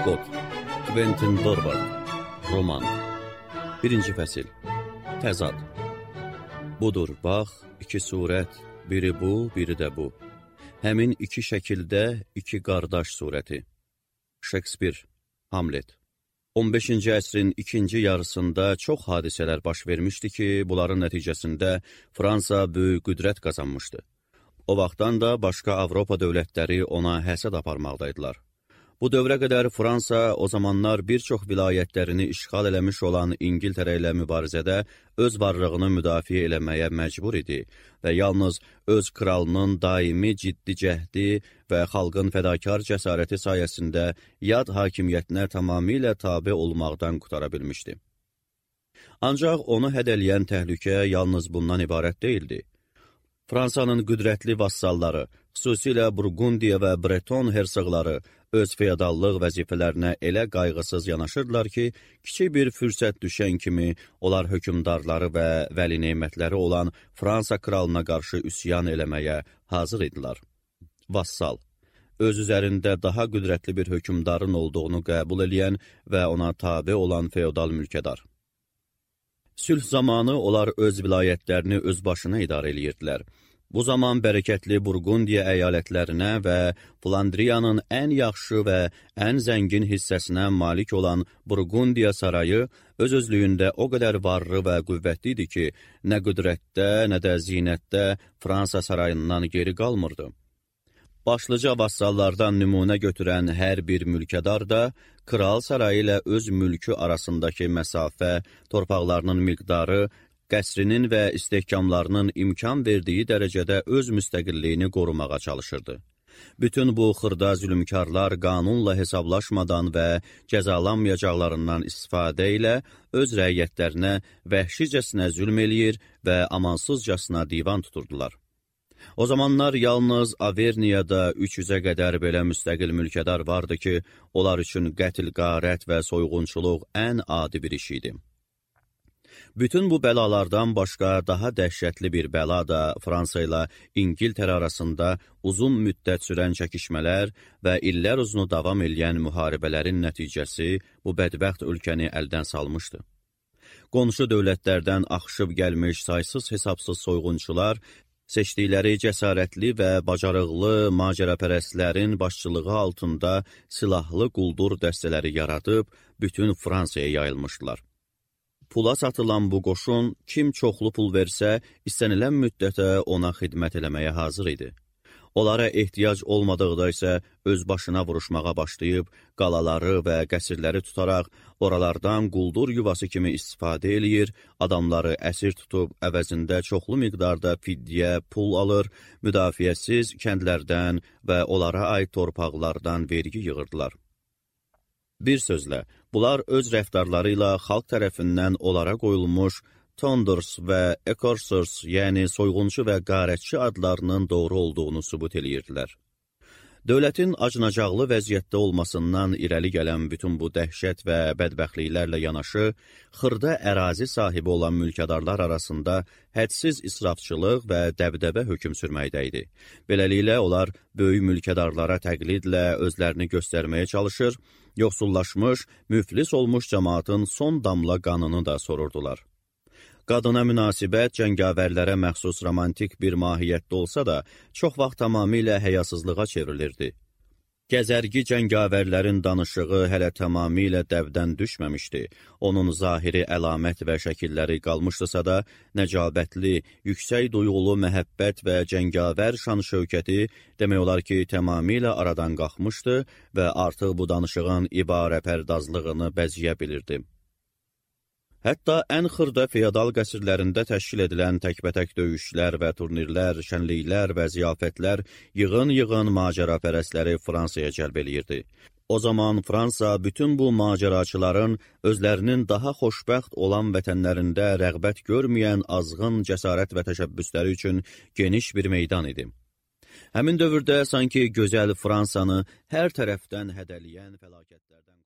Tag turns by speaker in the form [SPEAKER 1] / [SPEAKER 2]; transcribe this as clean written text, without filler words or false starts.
[SPEAKER 1] Scott, Quentin Dorward, roman. 1-ci fəsil. Təzad. Budur, bax, iki surət, biri bu, biri də bu. Həmin iki şəkildə iki qardaş surəti. Şekspir, Hamlet. 15-ci əsrin ikinci yarısında çox hadisələr baş vermişdi ki, bunların nəticəsində Fransa böyük qüdrət qazanmışdı. O vaxtdan da başqa Avropa dövlətləri ona həsəd aparmaqdaydılar. Bu dövrə qədər Fransa o zamanlar bir çox vilayətlərini işğal eləmiş olan İngiltərə ilə mübarizədə öz varlığını müdafiə eləməyə məcbur idi və yalnız öz kralının daimi ciddi cəhdi və xalqın fədakar cəsarəti sayəsində yad hakimiyyətinə tamamilə tabe olmaqdan qutara bilmişdi. Ancaq onu hədələyən təhlükə yalnız bundan ibarət deyildi. Fransanın qüdrətli vassalları, xüsusilə Burqundiya və Breton hersoqları öz feodallıq vəzifələrinə elə qayğısız yanaşırdılar ki, kiçik bir fürsət düşən kimi onlar hökümdarları və vəli-nemətləri olan Fransa kralına qarşı üsyan eləməyə hazır idilər. Vassal, öz üzərində daha qüdrətli bir hökümdarın olduğunu qəbul eləyən və ona tabe olan feodal mülkədar. Sülh zamanı onlar öz vilayətlərini öz başına idarə eləyirdilər. Bu zaman bərəkətli Burqundiya əyalətlərinə və Flandriyanın ən yaxşı və ən zəngin hissəsinə malik olan Burqundiya sarayı öz-özlüyündə o qədər varlı və qüvvətli idi ki, nə qüdrətdə, nə də zinətdə Fransa sarayından geri qalmırdı. Başlıca vassallardan nümunə götürən hər bir mülkədar da kral sarayı ilə öz mülkü arasındakı məsafə, torpaqlarının miqdarı, qəsrinin və istehkamlarının imkan verdiyi dərəcədə öz müstəqilliyini qorumağa çalışırdı. Bütün bu xırda zülmkarlar qanunla hesablaşmadan və cəzalanmayacaqlarından istifadə ilə öz rəiyyətlərinə vəhşicəsinə zülm eləyir və amansızcasına divan tuturdular. O zamanlar yalnız Averniyada 300-ə qədər belə müstəqil mülkədar vardı ki, onlar üçün qətl, qarət və soyğunçuluq ən adi bir iş idi. Bütün bu bəlalardan başqa daha dəhşətli bir bəla da Fransa ilə İngiltərə arasında uzun müddət sürən çəkişmələr və illər uzunu davam edən müharibələrin nəticəsi bu bədbəxt ölkəni əldən salmışdı. Qonşu dövlətlərdən axışıb gəlmiş saysız-hesabsız soyğunçular, seçdikləri cəsarətli və bacarıqlı macərapərəstlərin başçılığı altında silahlı quldur dəstələri yaradıb bütün Fransaya yayılmışdılar. Pula satılan bu qoşun kim çoxlu pul versə, istənilən müddətə ona xidmət eləməyə hazır idi. Onlara ehtiyac olmadıqda isə öz başına vuruşmağa başlayıb, qalaları və qəsrləri tutaraq, oralardan quldur yuvası kimi istifadə eləyir, adamları əsir tutub, əvəzində çoxlu miqdarda fidyə, pul alır, müdafiəsiz kəndlərdən və onlara aid torpaqlardan vergi yığırdılar. Bir sözlə, bunlar öz rəftarları ilə xalq tərəfindən onlara qoyulmuş Tonders və Ecorsers, yəni soyğunçu və qarətçi adlarının doğru olduğunu sübut eləyirdilər. Dövlətin acınacaqlı vəziyyətdə olmasından irəli gələn bütün bu dəhşət və bədbəxtliklərlə yanaşı, xırda ərazi sahibi olan mülkədarlar arasında hədsiz israfçılıq və dəbdəbə hökm sürməkdə idi. Beləliklə, onlar böyük mülkədarlara təqlidlə özlərini göstərməyə çalışır, yoxsullaşmış, müflis olmuş cəmaatın son damla qanını da sorurdular. Qadına münasibət cəngavərlərə məxsus romantik bir mahiyyətdə olsa da, çox vaxt tamamilə həyasızlığa çevrilirdi. Gəzərgi cəngavərlərin danışığı hələ tamamilə dəbdən düşməmişdi. Onun zahiri əlamət və şəkilləri qalmışdısa da, nəcabətli, yüksək duyğulu məhəbbət və cəngavər şan-şövkəti demək olar ki, tamamilə aradan qalxmışdı və artıq bu danışığın ibarə pərdazlığını bəziyə bilirdi. Hətta ən xırda feodal qəsrlərində təşkil edilən təkbətək döyüşlər və turnirlər, şənliklər və ziyafətlər yığın-yığın macərapərəstləri Fransaya cəlb eləyirdi. O zaman Fransa bütün bu macəraçıların özlərinin daha xoşbəxt olan vətənlərində rəğbət görməyən azğın cəsarət və təşəbbüsləri üçün geniş bir meydan idi. Həmin dövrdə sanki gözəl Fransanı hər tərəfdən hədələyən fəlakətlərdən